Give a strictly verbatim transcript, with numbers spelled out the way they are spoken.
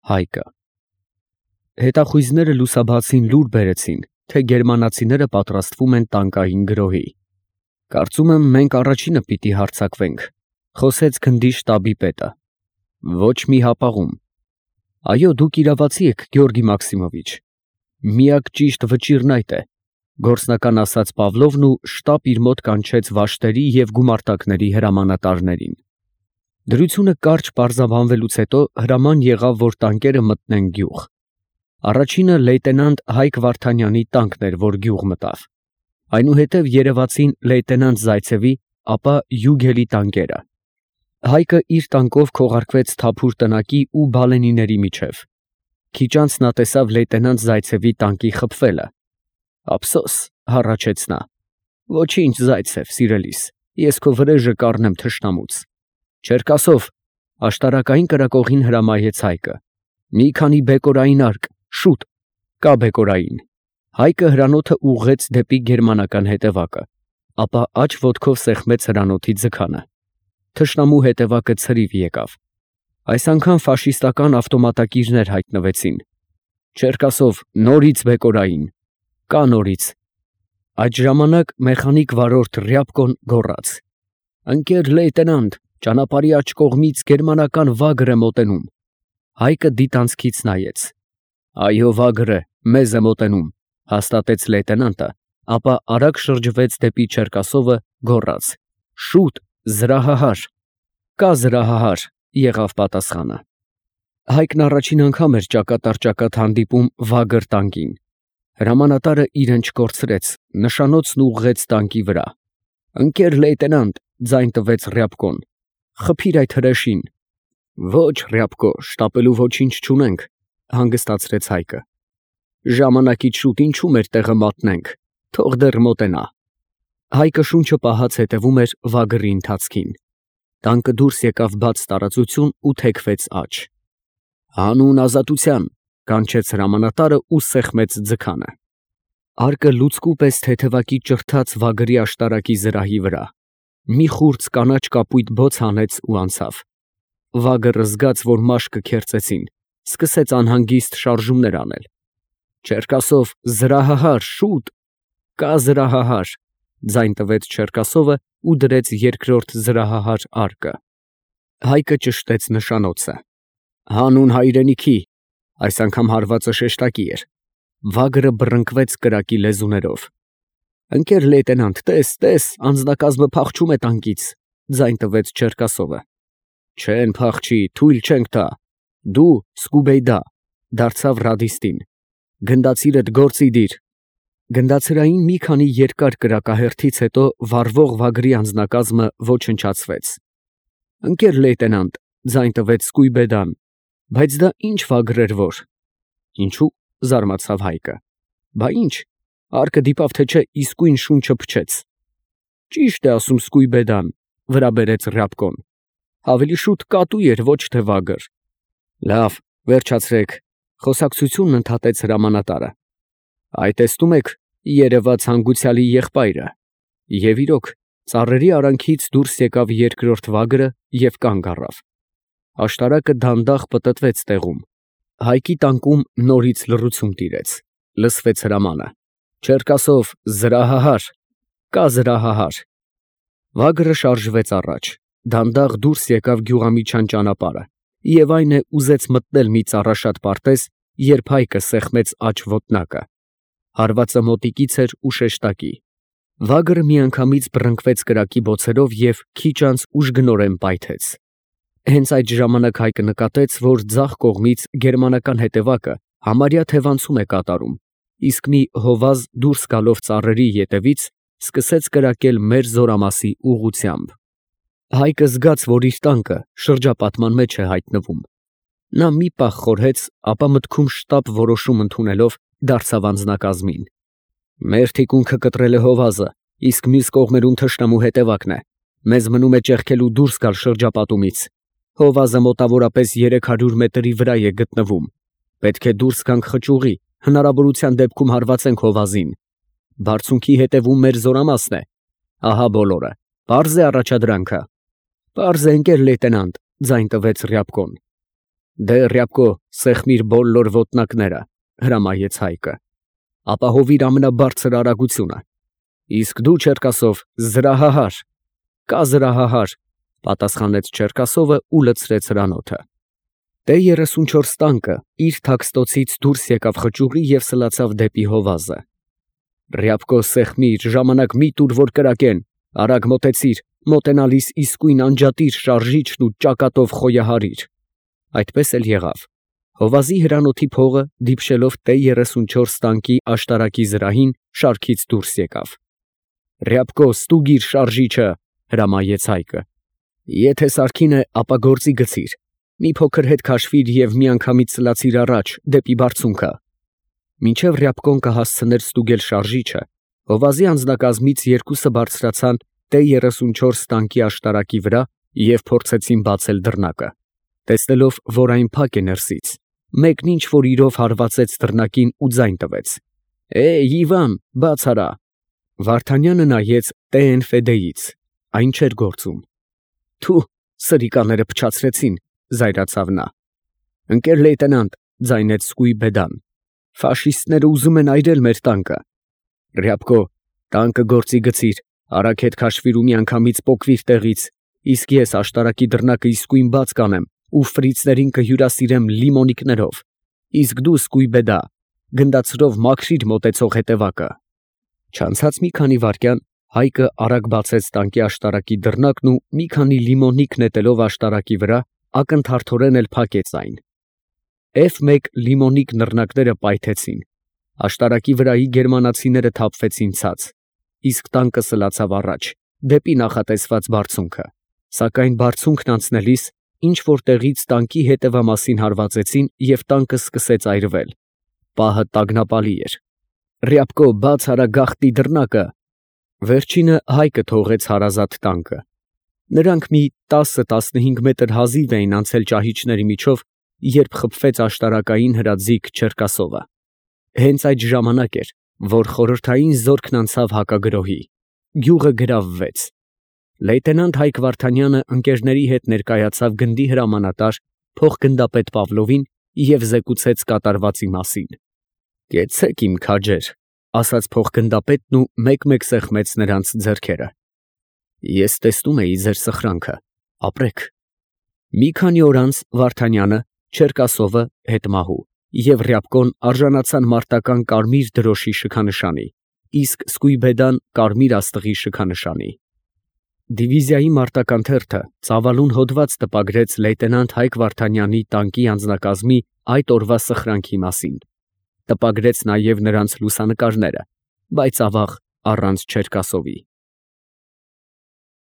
Հայկը։ Հետախույզները լուսաբացին լուր բերեցին, թե գերմանացիները պատրաստվում են տանկային գրոհի։ Կարծում եմ, մենք առաջինը պիտի հարձակվենք, խոսեց գնդի շտաբի պետը։ Ոչ մի հապաղում։ Այո, դուք իրավացի եք, Գեորգի Մաքսիմովիչ։ Միակ ճիշտ վճիռն այդ է, գործնական ասաց Պավլովն ու շտապ իր մոտ կանչեց վաշտերի և գումարտակների հրամանատարներին։ Դրությունը կարճ պարզաբանվելուց հետո հրաման եղավ, որ տանկերը մտնեն գյուղ։ Առաջինը լեյտենանտ Հայկ Վարդանյանի տանկն էր, որ գյուղ մտավ։ Այնուհետև երևացին լեյտենանտ Զայցևի, ապա Յուգելի տանկերը։ Հայկը իր տանկով քողարկվեց Թափուր տնակի ու բալենիների միջև։ Քիչ անց նա տեսավ լեյտենանտ Զայցևի տանկի խփվելը։ Ափսոս, հառաչեց նա։ Ոչինչ, Զայցև, սիրելիս, ես քո վրեժը կառնեմ թշնամուց։ Չերկասով, աշտարակային կրակողին հրամայեց Հայկը։ Մի քանի բեկորային արկ, շուտ, կա բեկորային։ Հայկը հրանոթը ուղղեց դեպի գերմանական հետևակը, ապա աջ ոտքով սեղմեց հրանոթի ձգանը։ Թշնամու հետևակը ցրիվ եկավ։ Այս անգամ ֆաշիստական ավտոմատակիրներ հայտնվեցին։ Չերկասով, նորից բեկորային, կա նորից։ Այդ ժամանակ մեխանիկ վարորդ Ռյաբկոն գոռաց. Ընկեր լեյտենանտ, ճանապարհի աջ կողմից գերմանական վագր է մոտենում։ Հայկը դիտանցքից նայեց։ Այո, վագրը մեզ է մոտենում, հաստատեց լեյտենանտը, ապա արագ շրջվեց դեպի Չերկասովը, գոռաց. Շուտ, զրահահար։ Կա զրահահար, եղավ պատասխանը։ Հայկն առաջին անգամ էր ճակատառ-ճակատ հանդիպում վագր տանկին։ Հրամանատարը իրեն չկորցրեց, նշանոցն ուղղեց տանկի վրա։ Ընկեր լեյտենանտ, ձայն տվեց Ռյաբկոն, խփիր այդ հրեշին։ Ոչ, Ռյաբկո, շտապելու ոչինչ չունենք, հանգստացրեց Հայկը։ Ժամանակից շուտ ինչու մեր տեղը մատնենք, թող դեռ մոտենա։ Հայկը շունչը պահած հետևում էր վագրի ընթացքին։ Տանկը դուրս եկավ բաց տարածություն ու թեքվեց աջ։ Հանուն ազատության, կանչեց հրամանատարը ու սեղմեց ձգանը։ Արկը լուցկու պես թեթևակի ճրթաց վագրի աշտարակի զրահի վրա։ Մի խուրձ կանաչ կապույտ բոց հանեց ու անցավ։ Վագրը զգաց, որ մաշկը քերծեցին, սկսեց անհանգիստ շարժումներ անել։ Չերկասով, զրահահար, շուտ, կա զրահահար, ձայն տվեց Չերկասովը ու դրեց երկրորդ զրահահար արկը։ Հայկը ճշտեց նշանոցը։ Հանուն հայրենիքի, այս անգամ հարվածը շեշտակի էր։ Վագրը բռնկվեց կրակի լեզուներով։ Ընկեր լեյտենանտ, տես, տես, անձնակազմը փախչում է տանկից, ձայն տվեց Չերկասովը։ Չեն փախչի, թույլ չենք տա։ Դու, Սկուբեյդա, դարձավ ռադիստին։ Գնդացիրդ գործի դիր։ Գնդացրային մի քանի երկար կրակահերթից հետո վառվող վագրի անձնակազմը ոչնչացվեց։ Ընկեր լեյտենանտ, ձայն տվեց Սկույբեդան, բայց դա ինչ վագր էր որ։ Ինչու, զարմացավ Հայկը։ Բա ինչ, արկը դիպավ թե չէ իսկույն շունչը փչեց։ Ճիշտ է ասում Սկույբեդան, վրա բերեց Ռյաբկոն։ Ավելի շուտ կատու էր, ոչ թե վագր։ Լավ, վերջացրեք, խոսակցությունն ընդհատեց հրամանատարը։ Այ տեսնում եք, երևաց հանգուցյալի եղբայրը։ Եվ իրոք, ծառերի արանքից դուրս եկավ երկրորդ վագրը և կանգ առավ։ Աշտարակը դանդաղ պտտվեց տեղում։ Հայկի տանկում նորից լռություն տիրեց։ Լսվեց հրամանը. Չերկասով, զրահահար, կա զրահահար։ Վագրը շարժվեց առաջ, դանդաղ դուրս եկավ գյուղամիջյան ճանապարհը, և այն է ուզեց մտնել մի ծառաշատ պարտեզ, երբ Հայկը սեղմեց աջ ոտնակը։ Հարվածը մոտիկից էր ու շեշտակի։ Վագրը միանգամից բռնկվեց կրակի բոցերով և քիչ անց ուժգնորեն պայթեց։ Հենց այդ ժամանակ Հայկը նկատեց, որ ձախ կողմից գերմանական հետևակը համարյա թևանցում է կատարում, իսկ մի հովազ դուրս գալով ծառերի ետևից սկսեց կրակել մեր զորամասի ուղղությամբ։ Հայկը զգաց, որ իր տանկը շրջապատման մեջ է հայտնվում։ Նա մի պահ խորհեց, ապա մտքում շտապ որոշում ընդունելով դարձավ անձնակազմին։ Մեր թիկունքը կտրել է հովազը, իսկ մյուս կողմերում թշնամու հետևակն է։ Մեզ մնում է ճեղքելու դուրս գալ շրջապատումից։ Հովազը մոտավորապես երեք հարյուր մետրի վրա է գտնվում։ Պետք է դուրս գանք խճուղի, հնարավորության դեպքում հարվածենք հովազին։ Բարձունքի հետևում մեր զորամասն է։ Ահա բոլորը։ Պարզ է առաջադրանքը։ Պարզ է, ընկեր լեյտենանտ, ձայն տվեց Ռյաբկոն։ Դե Ռյաբկո, սեղմիր բոլոր ոտնակները, հրամայեց Հայկը, ապահովիր ամենաբարձր արագությունը, իսկ դու, Չերկասով, զրահահար, կա զրահահար, պատասխանեց Չերկասովը ու լցրեց հրանոթը։ Տե երեսունչորս տանկը իր թաքստոցից դուրս եկավ խճուռի և սլացավ դեպի հովազը։ Ռյաբկո, սեղմիր, ժամանակ մի տուր, որ կրակեն, արագ մոտեցիր, մոտենալիս իսկույն անջատիր շարժիչն ու ճակատով խոյահարիր։ Այդպես էլ եղավ։ Հովազի հրանոթի փողը, դիպչելով Տե երեսունչորս տանկի աշտարակի զրահին, շարքից դուրս եկավ։ Ռյաբկո, ստուգիր շարժիչը, հրամայեց Հայկը։ Եթե սարքին է, ապա գործի գցիր, մի փոքր հետ քաշվիր և միանգամից սլացիր առաջ, դեպի բարձունքը։ Մինչև Ռյաբկոն կհասցներ ստուգել շարժիչը, հովազի անձնակազմից երկուսը բարձրացան Տե երեսունչորս տանկի աշտարակի վրա և փորձեցին բացել դռնակը։ Տեսնելով, որ այն փակ է ներսից, մեկն ինչ որ իրով հարվածեց դռնակին ու ձայն տվեց. «Է, Իվան, բաց արա»։ Վարդանյանը նայեց Տե֊են֊Ֆեդեից, այն չէր գործում։ «Թու, սրիկաները փչացրեցին», զայրացավ նա։ «Ընկեր լեյտենանտ», ձայնեց Սկույբեդան, «ֆաշիստները ուզում են այրել մեր տանկը»։ Ռյաբկո, տանկը գործի գցիր, արագ հետ քաշվիր ու միանգամից պոկվիր տեղից, իսկ ես աշտարակի դռնակը իսկույն բաց կանեմ ու ֆրիցներին կհյուրասիրեմ լիմոնիկներով, իսկ դու, Սկույբեդա, գնդացրով մաքրիր մոտեցող հետևակը։ Չանցած մի քանի վայրկյան Հայկը արագ բացեց տանկի աշտարակի դռնակն ու մի քանի լիմոնիկ նետելով աշտարակի վրա, ակնթարթորեն էլ փակեց այն։ էֆ մեկ լիմոնիկ նռնակները պայթեցին, աշտարակի վրայի գերմանացիները թափվեցին ցած, իսկ տանկը սլացավ առաջ, դեպի նախատեսված բարձունքը, սակայն բարձունքն անցնելիս ինչ որ տեղից տանկի հետևամասին հարվածեցին և տանկը սկսեց այրվել։ Պահը տագնապալի էր։ Ռյաբկո, բաց արա գաղտնի դռնակը։ Վերջինը Հայկը թողեց հարազատ տանկը։ Նրանք մի տասը֊տասնհինգ մետր հազիվ էին անցել ճահիճների միջով, երբ խփվեց աշտարակային հրաձիգ Չերկասովը։ Հենց այդ ժամանակ էր, որ խորհրդային զորքն անցավ հակագրոհի։ Գյուղը գրավվեց։ Լեյտենանտ Հայկ Վարդանյանը ընկերների հետ ներկայացավ գնդի հրամանատար փոխգնդապետ Պավլովին և զեկուցեց կատարվածի մասին։ «Կեցեք, իմ քաջեր», ասաց փոխգնդապետն ու մեկ֊մեկ սեղմեց նրանց ձեռքերը։ «Ես տեսնում էի ձեր սխրանքը, ապրեք»։ Մի քանի օր անց Վարդանյանը, Չերկասովը հետմահու և Ռյաբկոն արժանացան մարտական կարմիր դրոշի շքանշանի, իսկ Սկույբեդան կարմիր աստղի շքանշանի։ Դիվիզիայի մարտական թերթը ծավալուն հոդված տպագրեց լեյտենանտ Հայկ Վարդանյանի տանկի անձնակազմի այդ օրվա սխրանքի մասին։ Տպագրեց նաև նրանց լուսանկարները, բայց ավաղ առանց Չերկասովի։